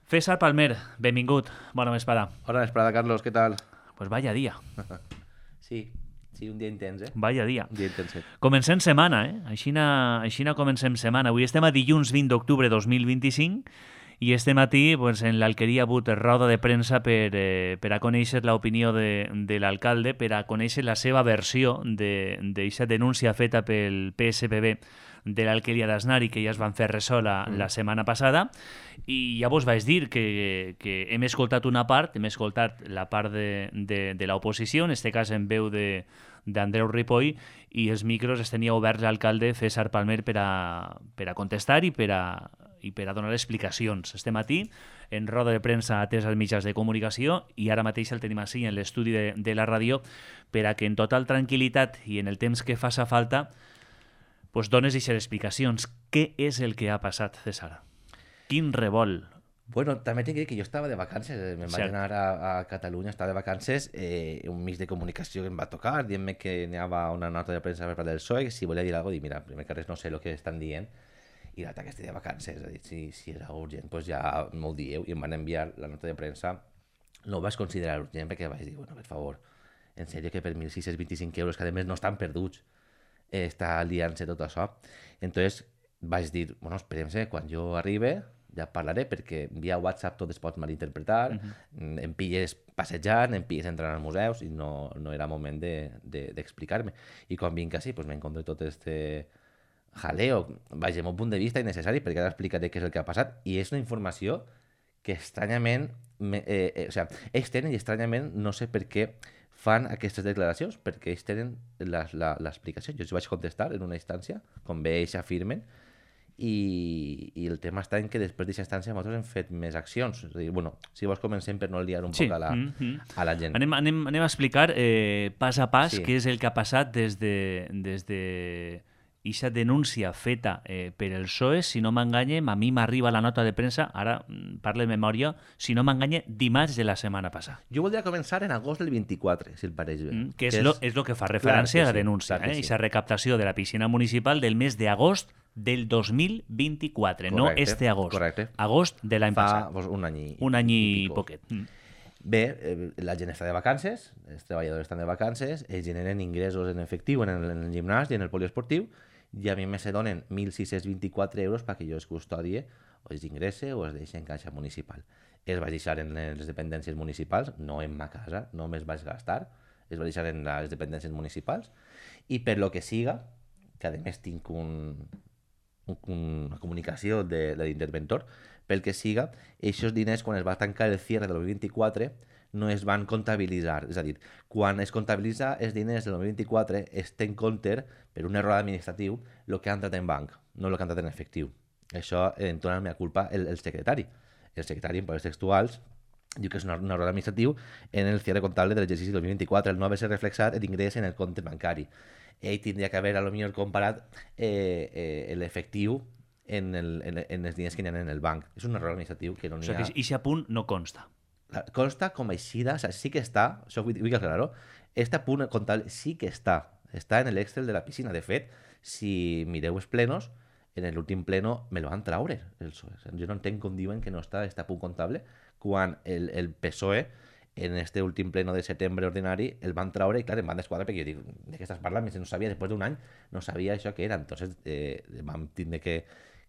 César Palmer, benvingut. Bona vesprada. Hola, Esprada, Carlos, ¿qué tal? Pues vaya dia, Sí, sí, un dia intens, eh? vaya dia. Un dia intenset. Comencem setmana, eh? Aixina comencem setmana. Avui estem a dilluns 20 d'octubre 2025 i este matí pues, en l'Alqueria ha hagut roda de premsa per a conèixer l'opinió de l'alcalde, per a conèixer la seva versió d'aquesta denúncia feta pel PSPB de l'Alqueria d'Asnar i que ja es van fer ressò la setmana passada, i ja vos vaig dir que hem escoltat una part, hem escoltat la part de l'oposició, en este cas en veu d'Andreu Ripoll, i els micros els tenia oberts l'alcalde César Palmer per a contestar i per a donar explicacions. Este matí, en roda de premsa atès als mitjans de comunicació, i ara mateix el tenim així en l'estudi de la ràdio, per a que en total tranquil·litat i en el temps que faça falta pues dones aquestes explicacions. Què és el que ha passat, César? Quin revolt? Bueno, també t'he de dir que jo estava de vacances, me'n vaig Cert. anar a Catalunya, estava de vacances, un mig de comunicació que em va tocar, dient-me que n'hi havia una nota de premsa per part del PSOE, que si volia dir alguna cosa, dic, mira, primer que res no sé el que estan dient, i l'altre que estic de vacances, he dit, si era urgent, doncs ja m'ho dieu, i em van enviar la nota de premsa. No ho vaig considerar urgent perquè vaig dir, bueno, per favor, en sèrio que per 1.625 euros, que a més no estan perduts, està liant-se tot això. Entonces vaig dir, bueno, esperem-se, quan jo arribe ja parlaré, perquè via WhatsApp tot es pot malinterpretar, em pilles passejant, em pilles entrant als museus i no era moment d'explicar-me. I quan vinc així, pues m'encontre tot este jaleo, vaja, el meu punt de vista innecessari, perquè ara explicaré què és el que ha passat, i és una informació que estranyament, o sigui, ells tenen i estranyament no sé per què fan aquestes declaracions, perquè ells tenen l'explicació. Jo els vaig contestar en una instància, com bé ells afirmen, i el tema està en que després d'aquesta instància nosaltres hem fet més accions. És a dir, bueno, si vols comencem per no liar un poc a la gent. Anem a explicar pas a pas Sí. què és el que ha passat des de aquesta denúncia feta per el PSOE, si no m'enganyem, a mi m'arriba la nota de premsa, ara parlo de memòria, si no m'enganye, dimarts de la setmana passada. Jo voldria començar en agost del 24, si el pareix bé. Que és lo que fa referència Clar a que la sí, denúncia, clar que sí. Aquesta recaptació de la piscina municipal del mes d'agost del 2024, no Correcte, este agost. correcte. Agost de l'any Fa passat. pues, un any I pico. poquet. Bé, la gent està de vacances, els treballadors estan de vacances, ells generen ingressos en efectiu en el gimnàs i en el poliesportiu, i a mi me se donen 1.624 euros perquè jo els custodie o els ingresse o els deixe en caixa municipal. Els vaig deixar en les dependències municipals, no en ma casa, no me'ls vaig gastar, els vaig deixar en les dependències municipals, i per lo que siga, que a més tinc una comunicació de l'interventor, pel que siga, aquests diners, quan es va tancar el cierre del 2024, no es van comptabilitzar. És a dir, quan es comptabilitza els diners del 2024, es té en compte, per un error administratiu, el que ha entrat en banc, no el que ha entrat en efectiu. Això en dona la meva culpa el secretari. El secretari, en paraules textuals, diu que és un error administratiu en el cierre comptable de l'exercici 2024, el no haver-se reflexat l'ingrés en el compte bancari. Ell tindria que haver, a lo millor, comparat l'efectiu en els diners que hi ha en el banc. És un error administratiu que no O n'hi sigui, ha... que aquest punt no consta. Consta com a eixida, o sea, sí que està, això vull aclarar-ho, este punt comptable sí que està en l'Excel de la piscina. De fet, si mireu els plenos, en l'últim pleno me lo van traure el PSOE. O sea, jo no entenc com diuen que no està este punt comptable quan el PSOE en este últim pleno de setembre ordinari el van traure i clar, em van desquadrar perquè jo dic, de què estàs parlant? No sabia, després d'un any no sabia això que era. Entonces vam tindre que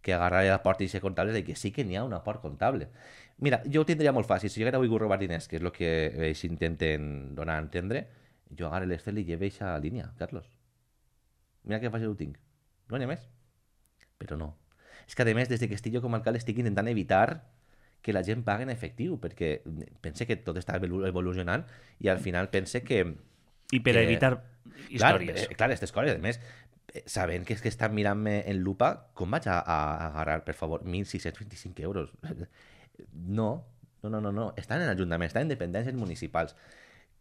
agarrar la porta i ser comptables de que sí que n'hi ha un aport comptable. Mira, jo ho tindria molt fàcil. Si jo ara vull robar diners, que és el que ells intenten donar a entendre, jo agarro l'Excel i llevo aquesta línia, Carlos. Mira que fàcil ho tinc. No n'hi ha més. Però no. És que, a més, des que estic jo com a alcalde estic intentant evitar que la gent pagui en efectiu, perquè pense que tot està evolucionant i al final pense que... I per evitar històries. Clar, aquestes coses, a més, sabent que és que estan mirant-me en lupa, com vaig a agarrar, per favor, 1.625 euros? No. Estan en l'Ajuntament, estan en dependències municipals.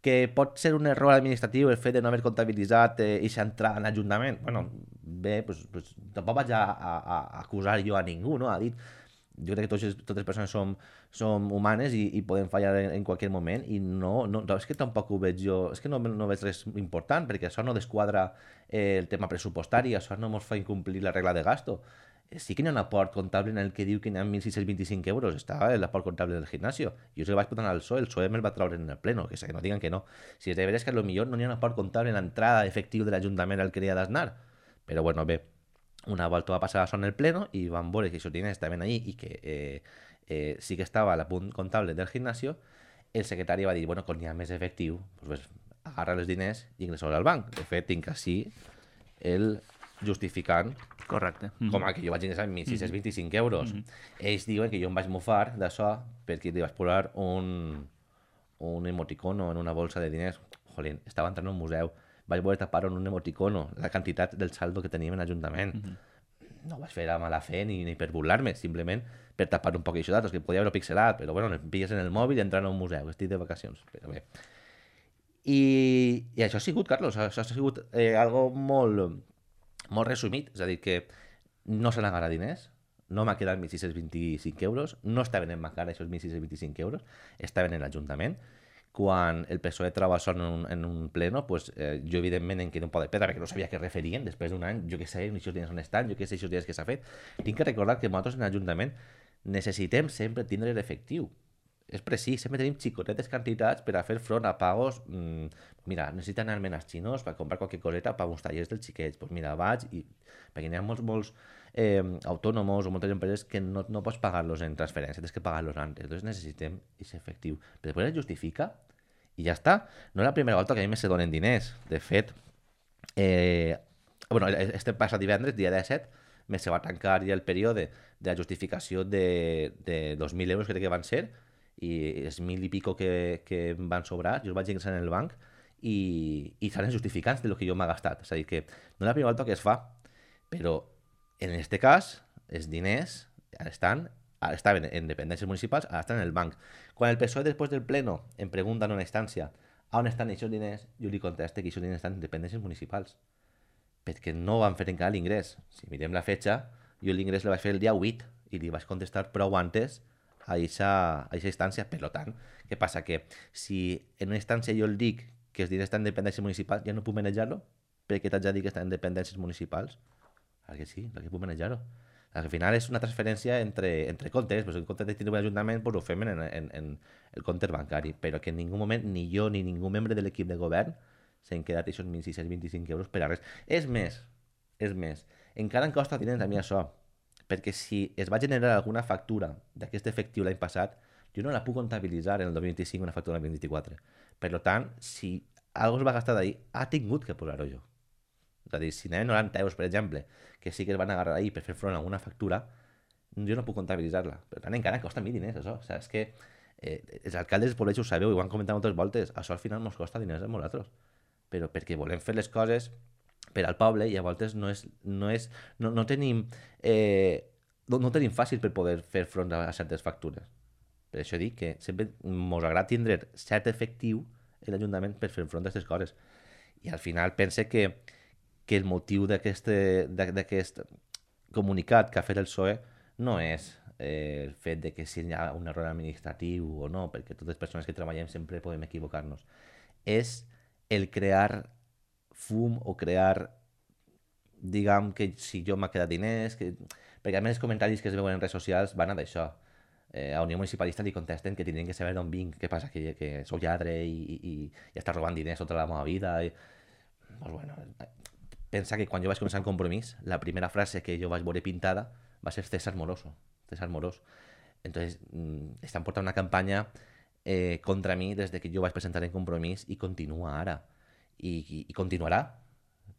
Que pot ser un error administratiu el fet de no haver comptabilitzat aquesta entrada en l'Ajuntament? Bueno, bé, pues, tampoc vaig a acusar jo a ningú, no? Ha dit, jo crec que totes les persones som humanes i podem fallar en qualsevol moment, i no, és que tampoc ho veig jo, és que no veig res important, perquè això no desquadra el tema pressupostari, això no ens fa incomplir la regla de gasto. Sí que n'hi ha un aport comptable en el que diu que n'hi ha 1.625 euros. Estava l'aport comptable del gimnasio. Jo se el vaig portar al PSOE, el PSOE me'l va treure en el pleno, que no digan que no. Si és de veres que potser no n'hi ha un aport comptable en l'entrada efectiu de l'Ajuntament al que li ha d'asnar. Però bueno, bé, una volta va passar això en el pleno i van veure que aquests diners estaven allí i que sí que estava a l'apunt comptable del gimnasio. El secretari va dir, bueno, quan hi ha més efectiu, pues, agarra els diners i ingressa-los al banc. De fet, tinc així el justificant Correcte. com a que jo vaig ingressar 1.625 euros. Ells diuen que jo em vaig mofar d'això perquè li vaig posar un emoticono en una bolsa de diners. Jolín, estava entrant a un museu, vaig voler tapar en un emoticono la quantitat del saldo que teníem en l'Ajuntament. No ho vaig fer a mala fe ni per burlar-me, simplement per tapar un poc això d'altres, que podia haver-ho pixelat, però bueno, em pilles en el mòbil i entrant a un museu, estic de vacacions, però bé. I això ha sigut, Carlos, això ha sigut algo molt resumit, és a dir, que no se n'agarra diners, no m'ha quedat 1.625 euros, no estaven en ma cara aquests 1.625 euros, estaven en l'Ajuntament. Quan el PSOE troba això en un pleno, pues, jo evidentment em quedo un poc de pedra perquè no sabia què referien després d'un any, jo què sé, aquests diners on estan, jo què sé, aquests diners que s'ha fet. Tinc que recordar que nosaltres en l'Ajuntament necessitem sempre tindre l'efectiu. És precís, sempre tenim xicotetes quantitats per a fer front a pagos. Mira, necessito anar-me'n als xinos per comprar qualque coseta per uns tallers dels xiquets. Pues mira, vaig i... Perquè n'hi ha molts autònoms o moltes empreses que no pots pagar-los en transferència, tens que pagar-los antes. Entonces necessitem aquest efectiu. Però després es justifica i ja està. No és la primera volta que a mi se donen diners. De fet, bueno, este passat divendres, dia 17, me se va tancar ja el període de la justificació de 2.000 euros, crec que van ser, i els 1.000 i pico que em van sobrar, jo els vaig ingressar en el banc i seran justificants de lo que jo m'he gastat. És a dir, que no és la primera volta que es fa, però en este cas els diners estaven en dependències municipals, ara estan en el banc. Quan el PSOE després del pleno em pregunta en una instància on estan aquests diners, jo li conteste que aquests diners estan en dependències municipals, perquè no van fer encara l'ingrés. Si mirem la fetge, jo l'ingrés el vaig fer el dia 8 i li vaig contestar prou antes a aquesta instància. Per tant, què passa? Que si en una instància jo el dic que els diners estan en dependències municipals, ja no puc manejar-lo? Perquè t'haig de dir que estan en dependències municipals? Perquè sí, perquè puc manejar-ho. Al final és una transferència entre comptes, però en comptes de tindre un ajuntament, doncs ho fem en el compte bancari, però que en ningú moment, ni jo ni ningú membre de l'equip de govern s'han quedat aquests 1.625 euros per a res. És més, encara em costa diners a mi això, perquè si es va generar alguna factura d'aquest efectiu l'any passat, jo no la puc comptabilitzar en el 2025 una factura en el 2024. Per tant, si algo es va gastar d'ahir, ha tingut que posar-ho jo. És a dir, si n'hi ha 90 euros, per exemple, que sí que es van agarrar ahir per fer front a una factura, jo no puc comptabilitzar-la. Per tant, encara costa a mi diners, això. O sigui, és que els alcaldes dels poblets ho sabeu i ho han comentat moltes voltes. Això al final ens costa diners a nosaltres. Però perquè volem fer les coses per al poble i a voltes no tenim no tenim fàcil per poder fer front a certes factures. Per això dic que sempre ens agrada tindre cert efectiu en l'Ajuntament per fer front a aquestes coses. I al final pense que el motiu d'aquest comunicat que ha fet el PSOE no és el fet de que si hi ha un error administratiu o no, perquè totes les persones que treballem sempre podem equivocar-nos. És el crear fum o crear, diguem, que si jo m'ha quedat diners, perquè a més els comentaris que es veuen en redes socials van a d'això. A Unió Municipalista li contesten que tindrien que saber d'on vinc, què passa, que sou lladre i està robant diners tota la meva vida. Pues bueno, pensa que quan jo vaig començar en Compromís, la primera frase que jo vaig veure pintada va ser César Moroso. Entonces, estan portant una campanya contra mi des que jo vaig presentar en Compromís i continua ara. I continuarà,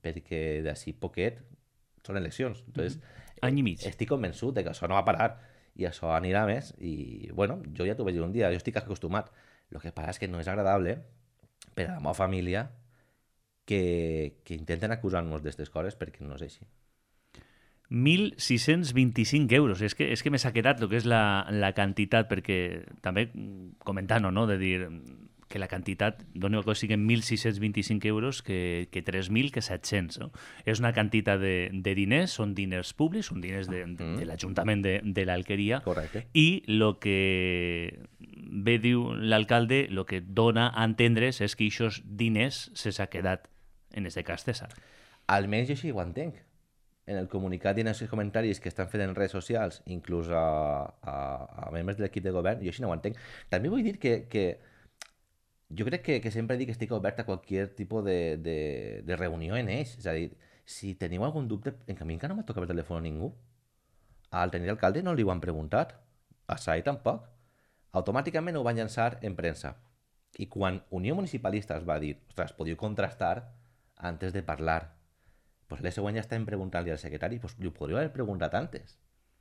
perquè d'ací poquet són eleccions. Entonces, any i mig. Estic convençut de que això no va parar i això anirà més. I, bueno, jo ja t'ho vaig dir un dia, jo estic acostumat. El que passa és que no és agradable per a la meva família que intenten acusar-nos d'aquestes coses perquè no és així. 1.625 euros. És que m'ha quedat el que és la quantitat, perquè també comentant-ho, no? De dir que la quantitat, doni que siguin 1.625 euros que 3.000 que 700. No? És una quantitat de diners, són diners públics, són diners de l'Ajuntament de l'Alqueria. Correcte. I el que bé diu l'alcalde, el que dona a entendre's és que aquests diners se s'ha quedat en aquest cas César. Almenys jo així ho entenc. en el comunicat i en els comentaris que estan fent en redes socials, inclús a membres de l'equip de govern, jo així no ho entenc. També vull dir que jo crec que sempre dic que estic obert a qualsevol tipus de reunió en ells. És a dir, si teniu algun dubte, en canvi encara no m'ha tocat el telèfon a ningú. Al tenir alcalde no li ho han preguntat. A SAI tampoc. Automàticament ho van llançar en premsa. I quan Unió Municipalista es va dir, ostres, podíeu contrastar antes de parlar, pues l'any següent ja estem preguntant-li al secretari, pues li ho podríeu haver preguntat antes,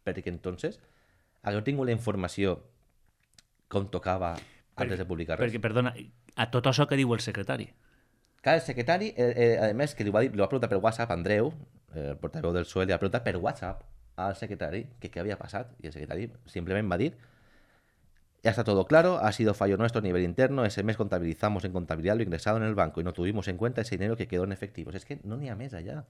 perquè entonces hagueu tingut la informació com tocava antes de publicar res. Perquè, perdona, a tot això que diu el secretari? Clar, el secretari, a més, que li va preguntar per WhatsApp, Andreu, el portaveu del PSOE, li va preguntar per WhatsApp al secretari que què havia passat, i el secretari simplement va dir: ya está todo claro, ha sido fallo nuestro a nivel interno, ese mes contabilizamos en contabilidad lo ingresado en el banco y no tuvimos en cuenta ese dinero que quedó en efectivos. Es que no n'hi ha més allà.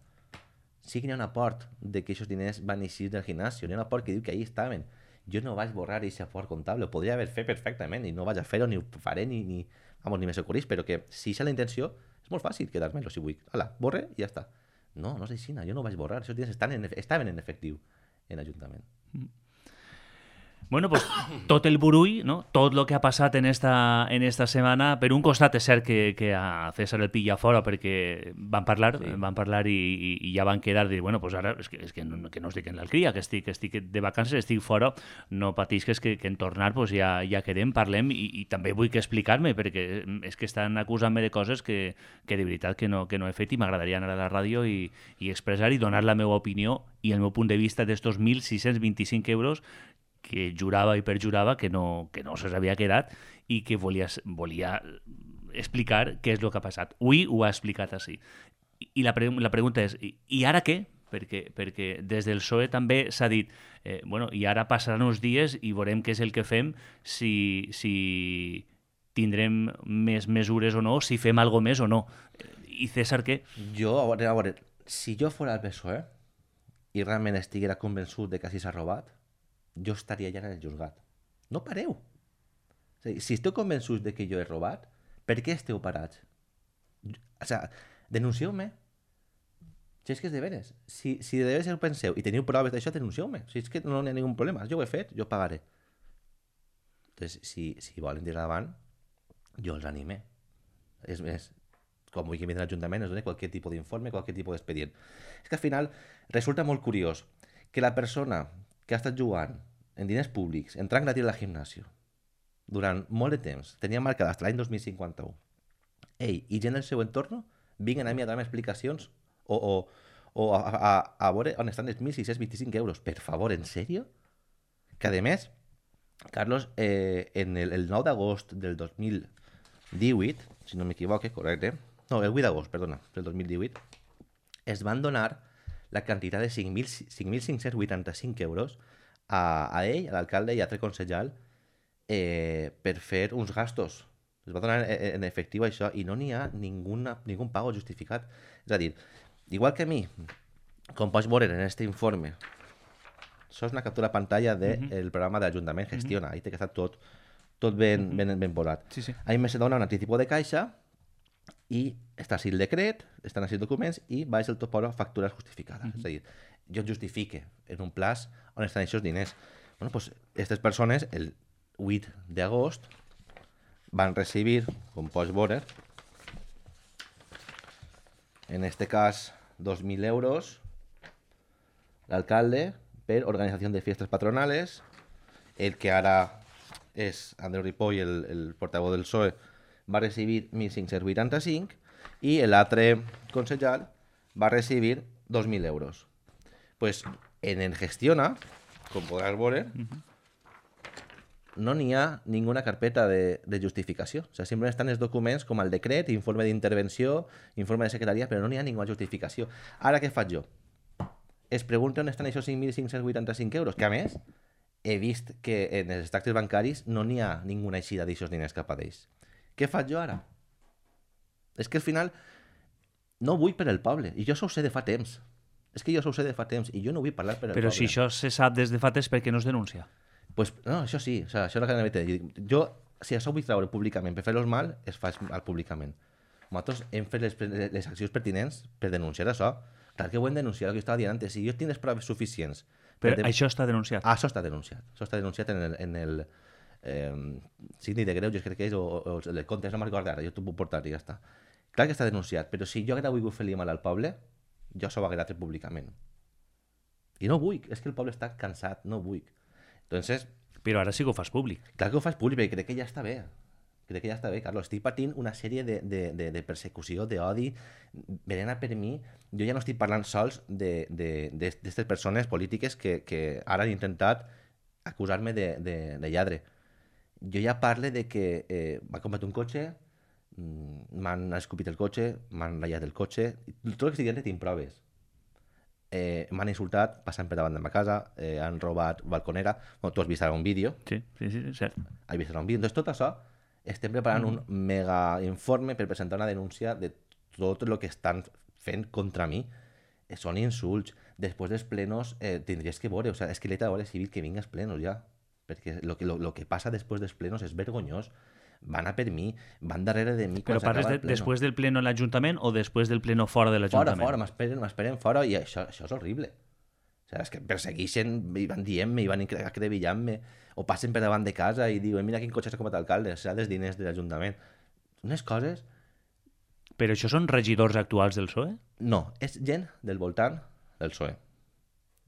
Sí que n'hi ha un aport de que aquests diners van eixir del gimnasio, n'hi ha un aport que diu que ahí estaven. Jo no vaig borrar aquest aport comptable, ho podria haver fet perfectament i no vaig a fer-ho, ni ho faré, ni me socorrís, però que si és la intenció, és molt fàcil quedar-me-lo si vull. Hala, borre i ja està. No, no és així, jo no vaig borrar, aquests diners estaven en efectiu en l'Ajuntament. Bueno, pues tot el burull, no? Tot el que ha passat en esta setmana, per un costat és cert que a César el pilla fora perquè van parlar i ja van quedar dir, bueno, pues ara és que no estic en l'alcria, que estic de vacances, estic fora, no patisques que en tornar pues ja quedem, parlem i també vull que explicar-me perquè és que estan acusant-me de coses que de veritat que no he fet i m'agradaria anar a la ràdio i expressar i donar la meva opinió i el meu punt de vista d'estos 1.625 euros que jurava i perjurava que no se'ls havia quedat i que volia explicar què és el que ha passat. Avui ho ha explicat així. I la pregunta és, i ara què? Perquè des del PSOE també s'ha dit, bueno, i ara passaran uns dies i veurem què és el que fem, si tindrem més mesures o no, si fem alguna més o no. I César, què? Jo, a veure, si jo fos el PSOE i realment estiguera convençut de que així s'ha robat, jo estaria ja en el juzgat. No pareu. O sigui, si esteu convençuts de que jo he robat, per què esteu parats? O sigui, denuncieu-me. Si és que és de veres. Si de veres ho penseu i teniu proves d'això, denuncieu-me. Si és que no hi ha ningun problema. Jo ho he fet, jo pagaré. Entonces, si volen tirar davant, jo els anime. És més, com vull que vingui l'Ajuntament, es doni qualsevol tipus d'informe, qualsevol tipus d'expedient. És que al final resulta molt curiós que la persona que ha estat jugant en diners públics, entrant gratis al gimnasio, durant molt de temps, tenia marcat fins l'any 2051. Ell i gent del seu entorn vinguen a mi a dar-me explicacions o a veure on estan els 1.625 euros. Per favor, en sèrio? Que a més, Carlos, en el 9 d'agost del 2018, si no m'equivoque, correcte, no, el 8 d'agost, perdona, del 2018, es van donar la quantitat de 5.585 euros a ell, a l'alcalde i a altre concejal per fer uns gastos. Es va donar en efectiu això i no n'hi ha ningun pago justificat. És a dir, igual que a mi, com pots veure en aquest informe, això és una captura de pantalla del programa de l'Ajuntament Gestiona, ahí té que estar tot ben posat. Sí. Ahí me se dona un anticipo de caixa i està així el decret, estan així els documents i baix el tot posa factures justificades. És a dir, jo justifique en un plaç on estan aquests diners. Bueno, pues aquestes persones el 8 d'agost van recibir, com pots veure, en este cas 2.000 euros l'alcalde per organització de fiestas patronales, el que ara és Andreu Ripoll, el portaveu del PSOE, va recibir 1.585 i l'altre concejal va recibir 2.000 euros. Pues en el Gestiona, com podràs veure, no n'hi ha ninguna carpeta de justificació. O sigui, simplement estan els documents com el decret, informe d'intervenció, informe de secretaria, però no n'hi ha ninguna justificació. Ara què faig jo? Es pregunta on estan aquests 5.585 euros, que a més he vist que en els extractes bancaris no n'hi ha ninguna eixida d'aixòs diners cap a d'ells. Què faig jo ara? És que al final no vull per el poble, i jo això ho sé de fa temps. És que jo això ho sé de fa temps, i jo no vull parlar per el poble. Però si això se sap des de fa temps, per què no es denuncia? Pues, no, això sí, o sea, això és el que anava a dir. Jo, si això ho vull treure públicament per fer-los mal, es fa públicament. Nosaltres hem fet les accions pertinents per denunciar això. Clar que ho hem denunciat, el que estava dient antes. Si jo tinc les proves suficients... Però això està denunciat. Ah, això està denunciat. Això està denunciat en el Síndic de Greuges, crec que és, o el de Comptes, no me'n recordo ara, jo t'ho puc portar i ja està. Clar que està denunciat, però si jo haguera volgut fer-li mal al poble, jo s'ho haguera tret públicament. I no vull, és que el poble està cansat, no vull. Entonces... Però ara sí que ho fas públic. Clar que ho fas públic, perquè crec que ja està bé. Crec que ja està bé, Carlos. Estic patint una sèrie de persecució, d'odi, venent a per mi. Jo ja no estic parlant sols d'aquestes persones polítiques que ara han intentat acusar-me de lladre. Jo ja parle de que m'ha comprat un cotxe, m'han escopit el cotxe, m'han ratllat el cotxe, tot el que estic dient tinc proves. M'han insultat passant per davant de ma casa, han robat balconera. Bueno, tu has vist ara un vídeo. Sí, cert. Has vist ara un vídeo. Entonces, tot això, estem preparant un mega informe per presentar una denúncia de tot el que estan fent contra mi. Són insults. Després dels plenos tindries que veure, o sea, és que l'he de veure civil que vinga als plenos ja, perquè lo que passa després dels plenos és vergonyós. Van a per mi, van darrere de mi. Però parles després del pleno a l'Ajuntament o després del pleno fora de l'Ajuntament? Fora, m'esperen fora i això és horrible. O sigui, és que persegueixen, i van dient-me, i van acrevillant-me, o passen per davant de casa i diuen mira quin cotxe s'ha comprat l'alcalde, s'ha dels diners de l'Ajuntament. Unes coses... Però això són regidors actuals del PSOE? No, és gent del voltant del PSOE.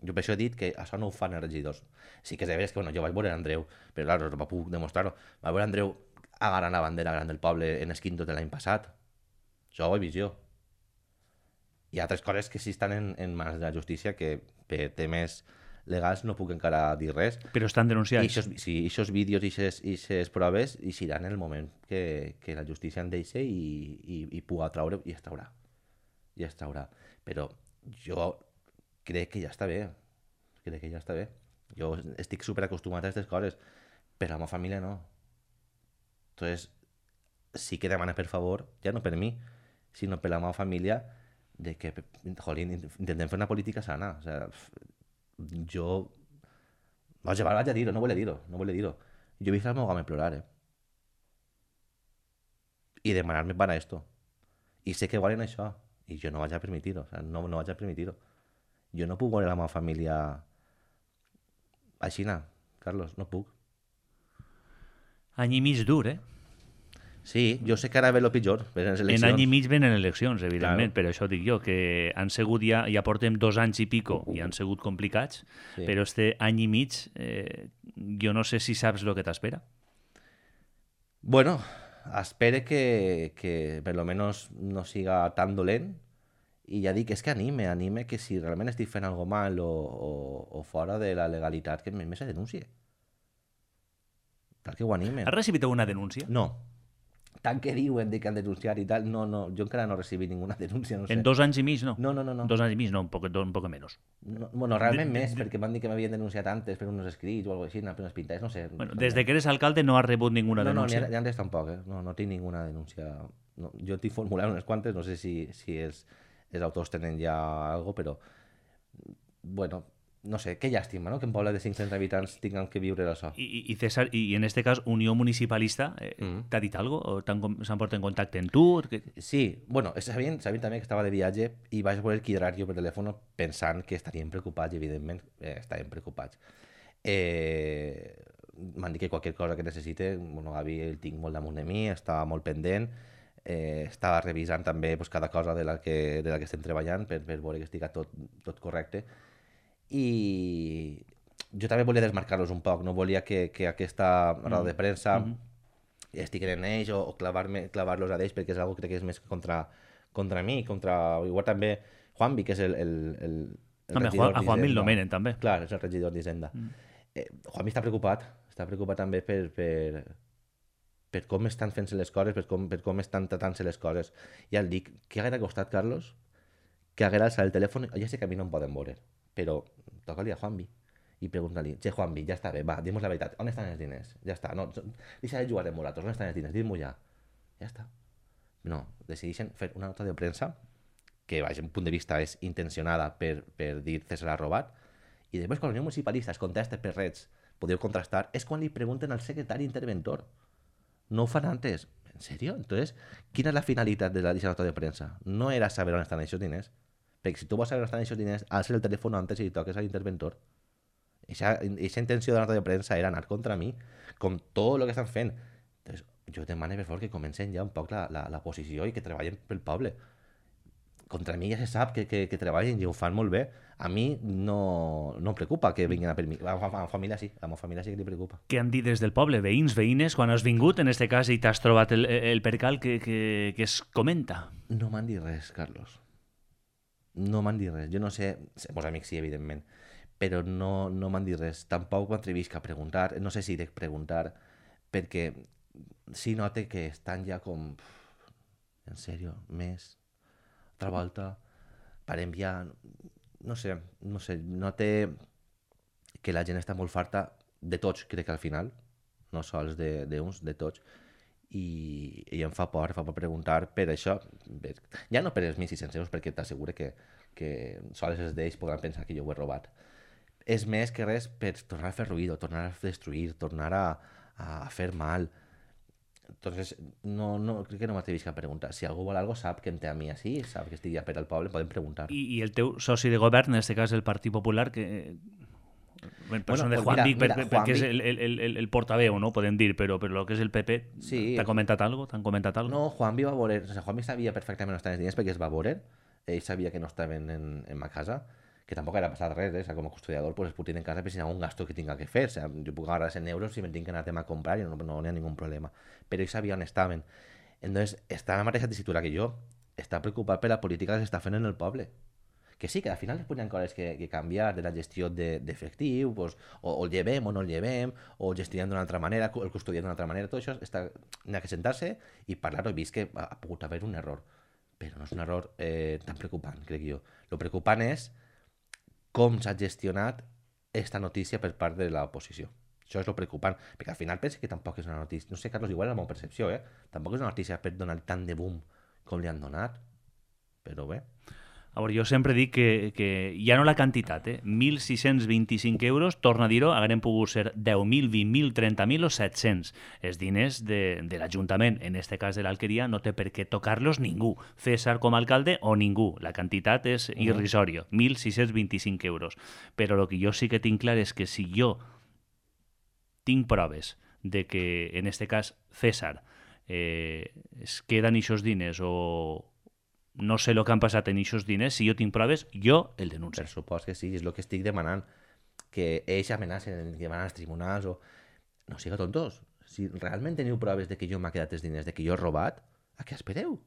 Jo per això he dit que això no ho fan els regidors. Sí que és veritat que jo vaig veure Andreu, però clar, no puc demostrar-ho. Vaig veure Andreu agarrant la bandera gran del poble en Esquinto de l'any passat. Això ho he vist jo. Hi ha altres coses que sí estan en mans de la justícia que per temes legals no puc encara dir res. Però estan denunciats. I aquests vídeos i aquestes proves eixiran en el moment que la justícia en deixi i puga traure i es traurà. I es traurà. Però jo crec que ja està bé. Crec que ja està bé. Jo estic superacostumat a aquestes coses. Per la meva família no. Entonces, sí que demana per favor, ja no per mi, sinó per la meva família, de que, jolín, intentem fer una política sana. O sea, jo... vaig a dir-ho, no vull dir-ho. Jo he vist el meu home plorar, i demanar-me para esto. I sé que volen això, i jo no vaig a permitir-ho. O sea, no vaig a permitir-ho. Jo no puc veure la meva família així, Carlos, no puc. Any i mig dur, Sí, jo sé que ara ve el pitjor. En any i mig venen eleccions, evidentment, claro. Però això dic jo, que han sigut ja portem 2 anys i pico i han sigut complicats, sí. Però este any i mig jo no sé si saps el que t'espera. Bueno, espere que per lo menos no siga tan dolent i ja dic, és que anime que si realment estic fent algo mal o fora de la legalitat, que me se denuncie. Tal que ho anime. Has recibit alguna denúncia? No. Tant que diuen que han denunciat i tal, no, jo encara no he recibit ninguna denúncia, no sé. En 2 anys i mig, no? No. 2 anys i mig, no, un poc menys. No, bueno, realment més, perquè m'han dit que m'havien denunciat antes per uns escrits o alguna cosa així, per unes pintades, no sé. Bueno, des de que eres alcalde no has rebut ninguna denúncia? No, ni antes tampoc, no tinc ninguna denúncia. No, jo t'he formulat unes quantes, no sé si els autors tenen ja algo, però, bueno... No sé, que llàstima, no? Que un poble de 500 habitants tinguin que viure d'això. I César, i en este cas, Unió Municipalista, t'ha dit algo? O s'han portat en contacte amb tu? Sí, bueno, sabien també que estava de viatge i vaig voler quedar jo per telèfon pensant que estarien preocupats, i evidentment estaven preocupats. M'han dit que qualsevol cosa que necessite, bueno, Gavi el tinc molt damunt de mi, estava molt pendent, estava revisant també pues, cada cosa de la que estem treballant per veure que estigui tot correcte. I jo també volia desmarcar-los un poc, no volia que aquesta roda de premsa estiguin en ells o clavar-los a ells, perquè és una que crec que és més contra mi, igual també Juanvi, que és el regidor d'Hisenda. A Juanvi el nomenen també. Clar, és el regidor d'Hisenda. Juanvi està preocupat també per com estan fent-se les coses, per com estan tratant-se les coses. Ja el dic, què haguera costat, Carlos, que haguera alçat el telèfon? Ja sé que a mi no em poden veure, però toca-li a Juanvi i pregunta-li, che Juanvi, ja està bé, va, dim-nos la veritat, on estan els diners? Ja està, no, deixa de jugar amb nosaltres, on estan els diners? Dim-m'ho ja. Ja està. No, decideixen fer una nota de premsa que, vaja, un punt de vista és intencionada per dir César ha robat, i després quan la Unió Municipalista es contesta per redes, podeu contrastar, és quan li pregunten al secretari interventor. No ho fan antes. ¿En serio? Entonces, quina és la finalitat de la nota de premsa? No era saber on estan aquests diners. Perquè si tu vols saber on estan aquests diners, alça el telèfon antes i li toques a l'interventor. Eixa intenció de la nota de premsa era anar contra mi, com tot el que estan fent. Entonces, jo demano, per favor, que comencen ja un poc la posició i que treballen pel poble. Contra mi ja se sap que treballen i ho fan molt bé. A mi no em preocupa que vinguin a per mi. A la meva família sí, a la meva família sí que li preocupa. Què han dit des del poble? Veïns, veïnes, quan has vingut, en este cas, i t'has trobat el percal que es comenta? No m'han dit res, Carlos. No m'han dit res. Jo no sé, els amics sí, evidentment, però no m'han dit res. Tampoc m'atrevisc a preguntar, no sé si de preguntar, perquè sí note que estan ja com... En sèrio, més... Altra volta, per enviar... No sé, note que la gent està molt farta de tots, crec que al final, no sols d'uns, de tots, i em fa por preguntar per això, ja no per els 1.600 euros, perquè t'asseguro que sols els d'ells podran pensar que jo ho he robat. És més que res per tornar a fer ruïdo, tornar a destruir, tornar a fer mal. Entonces, no crec que no m'atrevisc a preguntar. Si algú vol algo, sap que em té a mi així, sap que estic ja per al poble, podem preguntar. I el teu soci de govern, en este cas el Partit Popular, que... persona de Juan Vic, perquè és el portaveu, no? Podem dir, però el que és el PP, sí, t'ha comentat algo? T'han comentat algo? No, Juan Vic va veure, o sea, Juan Vic sabia perfectament on estaven els diners perquè es va veure, ell sabia que no estaven en ma casa, que tampoc era passat res, o sea, com a custodiador pues, es puc tenir en casa per si hi ha un gasto que tinga que fer, o sea, jo puc agarrar 100 euros si me tinc que anar a comprar i no hi ha ningú problema, però ell sabia on estaven. Entonces, està en la mateixa tessitura que jo, està preocupat per la política que s'està fent en el poble. Que sí, que al final es podrien coses que canviar de la gestió d'efectiu, pues, o el llevem o no el llevem, o gestionem d'una altra manera, el custodiem d'una altra manera, tot això n'ha que sentar-se i parlar-ho. He vist que ha pogut haver un error, però no és un error tan preocupant, crec jo. El preocupant és com s'ha gestionat esta notícia per part de l'oposició. Això és el preocupant, perquè al final penso que tampoc és una notícia, no sé, Carlos, igual és la meva percepció, tampoc és una notícia per donar tant de boom com li han donat, però bé. A veure, jo sempre dic que ja no la quantitat, 1.625 euros, torna a dir-ho, haguem pogut ser 10.000, 20.000, 30.000 o 700. Els diners de l'Ajuntament, en este cas de l'Alqueria, no té per què tocar-los ningú. César com a alcalde o ningú. La quantitat és irrisòria, 1.625 euros. Però el que jo sí que tinc clar és que si jo tinc proves de que, en este cas, César es queden aquests diners o no sé el que han passat en aquests diners, si jo tinc proves, jo el denuncio. Per supost que sí, és el que estic demanant, que ells amenacen que van als tribunals o... No siga tontos. Si realment teniu proves de que jo m'ha quedat els diners, de que jo he robat, a què espereu?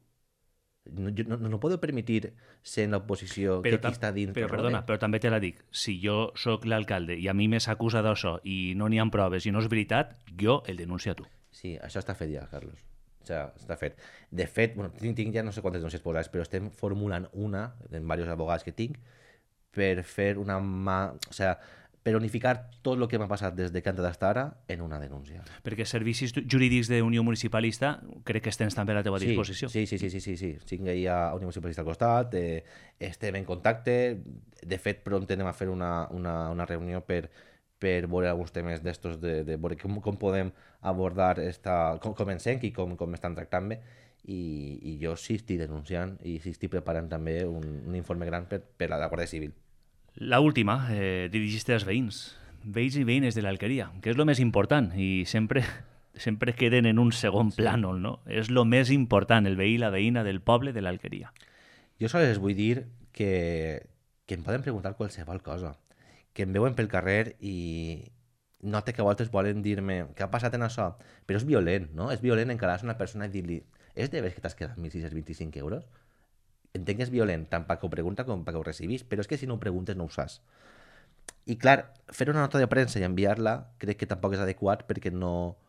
No podeu permetir ser en l'oposició que qui està dins... Però perdona, però també te la dic. Si jo sóc l'alcalde i a mi me s'acusa d'això i no n'hi ha proves i no és veritat, jo el denuncio a tu. Sí, això està fet ja, Carlos. O sigui, està fet. De fet, bueno, tinc ja no sé quantes denúncies posades, però estem formulant una, en diversos abogats que tinc, per fer una o sigui, per unificar tot el que m'ha passat des de que han d'estar ara en una denúncia. Perquè servicis jurídics d'Unió Municipalista crec que tens també a la teva disposició. Sí. Tinc ahir a Unió Municipalista al costat, estem en contacte, de fet, pront anem a fer una reunió per veure alguns temes d'estos, de veure com podem abordar com comencem i com estan tractant-me, i jo sí estic denunciant i sí estic preparant també un informe gran per a la Guàrdia Civil. La última, dirigiste als veïns i veïnes de l'Alqueria, que és el més important i sempre queden en un segon plànol, no? És el més important, el veí i la veïna del poble de l'Alqueria. Jo sols les vull dir que em poden preguntar qualsevol cosa, que em veuen pel carrer i note que a voltes volen dir-me què ha passat en això, però és violent, no? És violent encarar-se una persona i dir-li és de veres que t'has quedat 1.625 euros? Entenc que és violent, tant perquè ho pregunta com perquè ho recibís, però és que si no ho preguntes no ho saps. I clar, fer una nota de premsa i enviar-la crec que tampoc és adequat perquè no...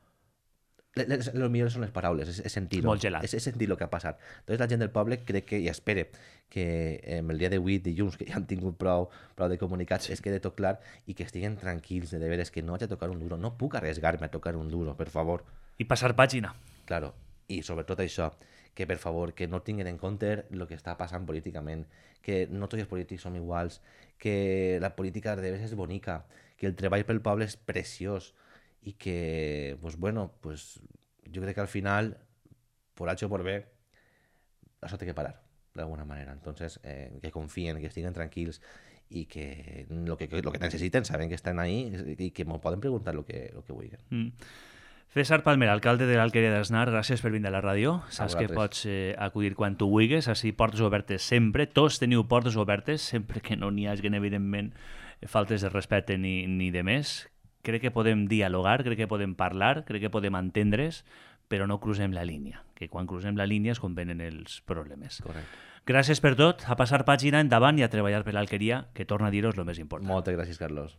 El millor són les paraules, és sentir-ho. Molt gelat. És sentir el que ha passat. Entonces la gent del poble crec que, i espere, que el dia d'avui, dilluns, que ja han tingut prou de comunicats, es quede tot clar i que estiguen tranquils, de veres, que no haig de tocar un duro. No puc arriesgar-me a tocar un duro, per favor. I passar pàgina. Claro, i sobretot això, que per favor, que no tinguin en compte el que està passant políticament, que no tots els polítics som iguals, que la política de vegades és bonica, que el treball pel poble és preciós i que, pues bueno, pues jo crec que al final, por H o por B, això té que parar. d'alguna manera. Entonces, que confien, que estiguin tranquils i que lo que necessiten saben que estan ahí i que m'ho poden preguntar lo que vulguin. César Palmer, alcalde de l'Alqueria d'Asnar, gràcies per vindre a la ràdio. Saps que pots acudir quan tu vulguis, així portes obertes sempre. Tots teniu portes obertes, sempre que no n'hi hagi, evidentment, faltes de respecte ni de més. Crec que podem dialogar, crec que podem parlar, crec que podem entendre's, però no crucem la línia, que quan crucem la línia és quan venen els problemes. Correcte. Gràcies per tot, a passar pàgina endavant i a treballar per l'Alqueria, que torna a dir-vos el més important. Moltes gràcies, Carlos.